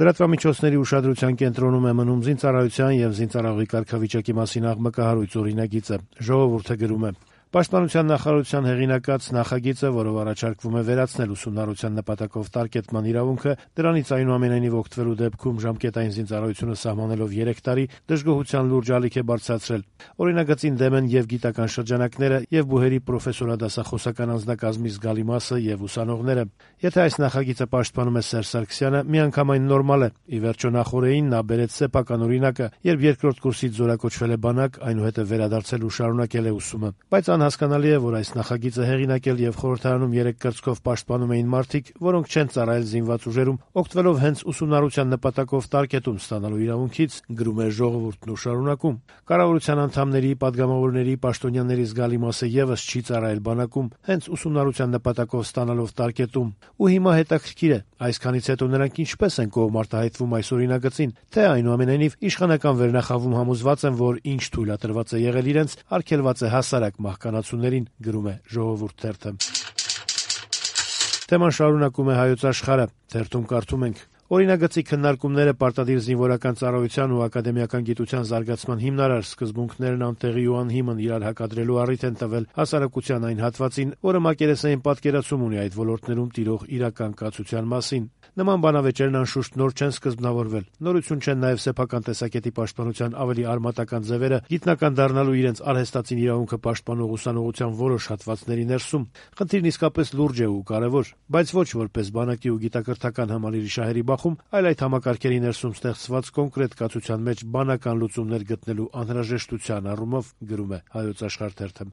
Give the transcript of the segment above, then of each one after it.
Լրատվամիջոցների ուշադրության կենտրոնում է մնում զինծառայության եւ զինծառայողի կարգավիճակի մասին աղմկահարույց օրինագիծը։ Ժողովուրդը գրում է. Պաշտպանության նախարարության հեղինակած նախագիծը, որով առաջարկվում է վերացնել ուսումնառության նպատակով տարկետման իրավունքը, դրանից այնուամենայնիվ օգտվելու դեպքում ժամկետային զինծառայությունը սահմանելով 3 տարի, դժգոհության լուրջ ալիք է բարձրացրել։ Օրինագծին դեմ են եւ գիտական շրջանակները, եւ բուհերի պրոֆեսորադասախոսական անձնակազմի զգալի մասը եւ ուսանողները։ Եթե այս նախագիծը պաշտպանում է Սերժ Սարգսյանը, միանգամայն նորմալ է։ Ի վերջո նախորդին նա բերեց սեփական օրինակը, երբ երկրորդ կուրսից զորակոչվել է բանակ, այնուհետև վերադարձել ու շարունակել է ուսումը։ Բայց անհասկանալի է, որ այս նախագիծը հեղինակել եւ խորհրդարանում 3 կրծքով պաշտպանում էին մարդիկ, որոնք չեն ծառայել զինված ուժերում, օգտվելով հենց ուսումնառության նպատակով տարկետում ստանալու իրավունքից, գրում է Ժողովուրդն ու շարունակում։ Կառավարության անդամների, падգամավորների, պաշտոնյաների զգալի մասը եւս չի ծառայել բանակում, հենց ուսումնառության նպատակով ստանալով տարկետում։ Ու հիմա հետաքրքիր է, այսքանից հետո նրանք ինչպես են կողմ արտահայտվում այս օրինագծին, թե այնուամենայնիվ իշխանական վերնախավում համոզված են, որ ինչ թույլատրված է եղել իրենց, արգելված է հասարակ մահկանացուներին, գրում է Ժողովուրդ թերթը։ Թեման շարունակում է Հայոց Աշխարհը, թերթում կարդում ենք. Օրինագծի քննարկումները պարտադիր զինվորական ծառայության ու ակադեմիական գիտության զարգացման հիմնարար սկզբունքներն անտեղի ու անհիմն իրար հակադրելու առիթ են տվել հասարակության այն հատվածին, որը մակերեսային պատկերացում ունի այդ ոլորտներում տիրող իրական կացության մասին։ Նման բանավեճերն անշուշտ նոր չեն սկզբնավորվել։ Նորություն չեն նաև սեփական տեսակետի պաշտպանության ավելի արմատական ձևերը, գիտնական դառնալու իրենց արհեստացին իրավունքը պաշտպանող ուսանողության որոշ հատվածների ներսում։ Խնդիրն իսկապես լուրջ է ու կարևոր, բայց ոչ որպես բանակի ու գիտակրթական համալիրի շահերի բախում, այլ այդ համակարգերի ներսում ստեղծված կոնկրետ կացության մեջ բանական լուծումներ գտնելու անհրաժեշտության առումով, գրում է Հայոց Աշխարհ թերթը։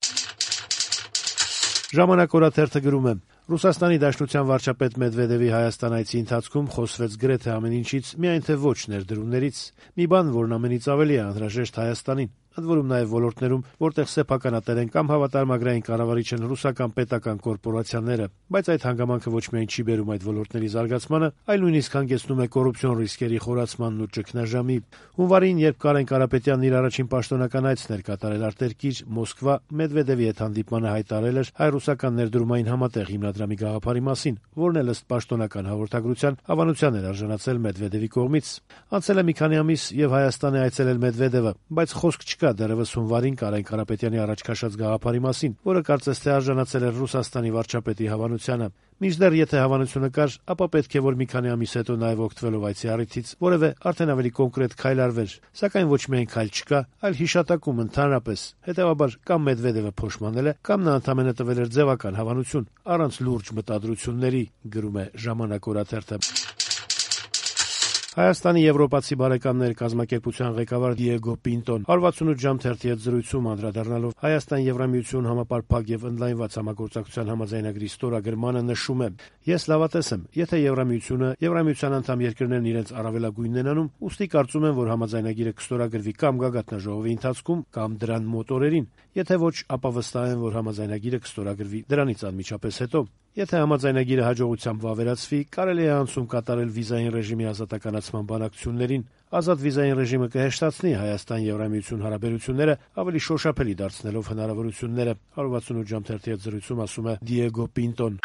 Ժամանակ օրաթերթը գրում է. Ռուսաստանի Դաշնության վարչապետ Մեդվեդևի Հայաստան այցի ընթացքում խոսվեց գրեթե ամեն ինչից, միայն թե ոչ ներդրումներից։ Մի բան, որն ամենից ավելի է անհրաժեշտ Հայաստանին, ընդ որում նաև ոլորտներում, որտեղ սեփականատեր են կամ հավատարմագրային կառավարիչ են ռուսական պետական կորպորացիաները, բայց այդ հանգամանքը ոչ միայն չի բերում այդ ոլորտների զարգացմանը, այլ նույնիսկ հանգեցնում է կոռուպցիոն ռիսկերի խորացմանն ու ճգնաժամի։ Հունվարին, երբ Կարեն Կարապետյանն իր առաջին պաշտոնական այցն էր կատարել արտերկիր Մոսկվա, Մեդվեդևի հետ հանդիպմանը հայտարարել էր հայ-ռուսական ներդրումային համատեղ հիմնադրամի գաղափարի մասին, որն էլ ըստ պաշտոնական հաղորդագրության հավանության էր արժանացել Մեդվեդևի կողմից։ Անցել է մի քանի ամիս եւ Հայաստան է այցելել Մեդվեդևը, բայց խոսք չկա դեռևս հունվարին Կարեն Կարապետյանի առաջ քաշած գաղափարի մասին, որը կարծես թե արժանացել էր Ռուսաստանի վարչապետի հավանությանը։ Մինչդեռ եթե հավանությունը կար, ապա պետք է որ մի քանի ամիս հետո նաև օգտվելով այցի առիթից որևէ արդեն ավելի կոնկրետ քայլ արվեր, սակայն ոչ միայն քայլ չկա, այլ հիշատակում ընդհանրապես։ Հետևաբար կամ Մեդվեդևը փոշմանել է, կամ նա ընդամենը տվել էր ձևական հավանություն առանց լուրջ մտադրությունների, գրում է Ժամանակ օրաթերթը։ Հայաստանի եվրոպացի բարեկամներ կազմակերպության ղեկավար Դիեգո Պինտոն 168 ժամ թերթի հետ զրույցում անդրադառնալով Հայաստան-Եվրամիություն համապարփակ եւ ընդլայնված համագործակցության համաձայնագրի ստորագրմանը նշում է. Ես լավատես եմ, եթե Եվրամիությունը, Եվրամիության անդամ երկրներն իրենց առավելագույնն են անում, ուստի կարծում եմ, որ համաձայնագիրը կստորագրվի կամ գագաթնաժողովի ընթացքում, կամ դրան մոտ օրերին, եթե ոչ, ապա վստահ եմ, որ համաձայնագիրը կստորագրվի դրանից անմիջապես հետո։ Եթե համաձայնագիրը հաջողությամբ վավերացվի, կարելի է անցում կատարել վիզային ռեժիմի ազատականացման բանակցություններին։ Ազատ վիզային ռեժիմը կհեշտացնի Հայաստան-Եվրամիություն հարաբերությունները, ավելի շոշափելի դարձնելով հնարավորությունները, 168 ժամ թերթի հետ զրույցում ասում է Դիեգո Պինտոն։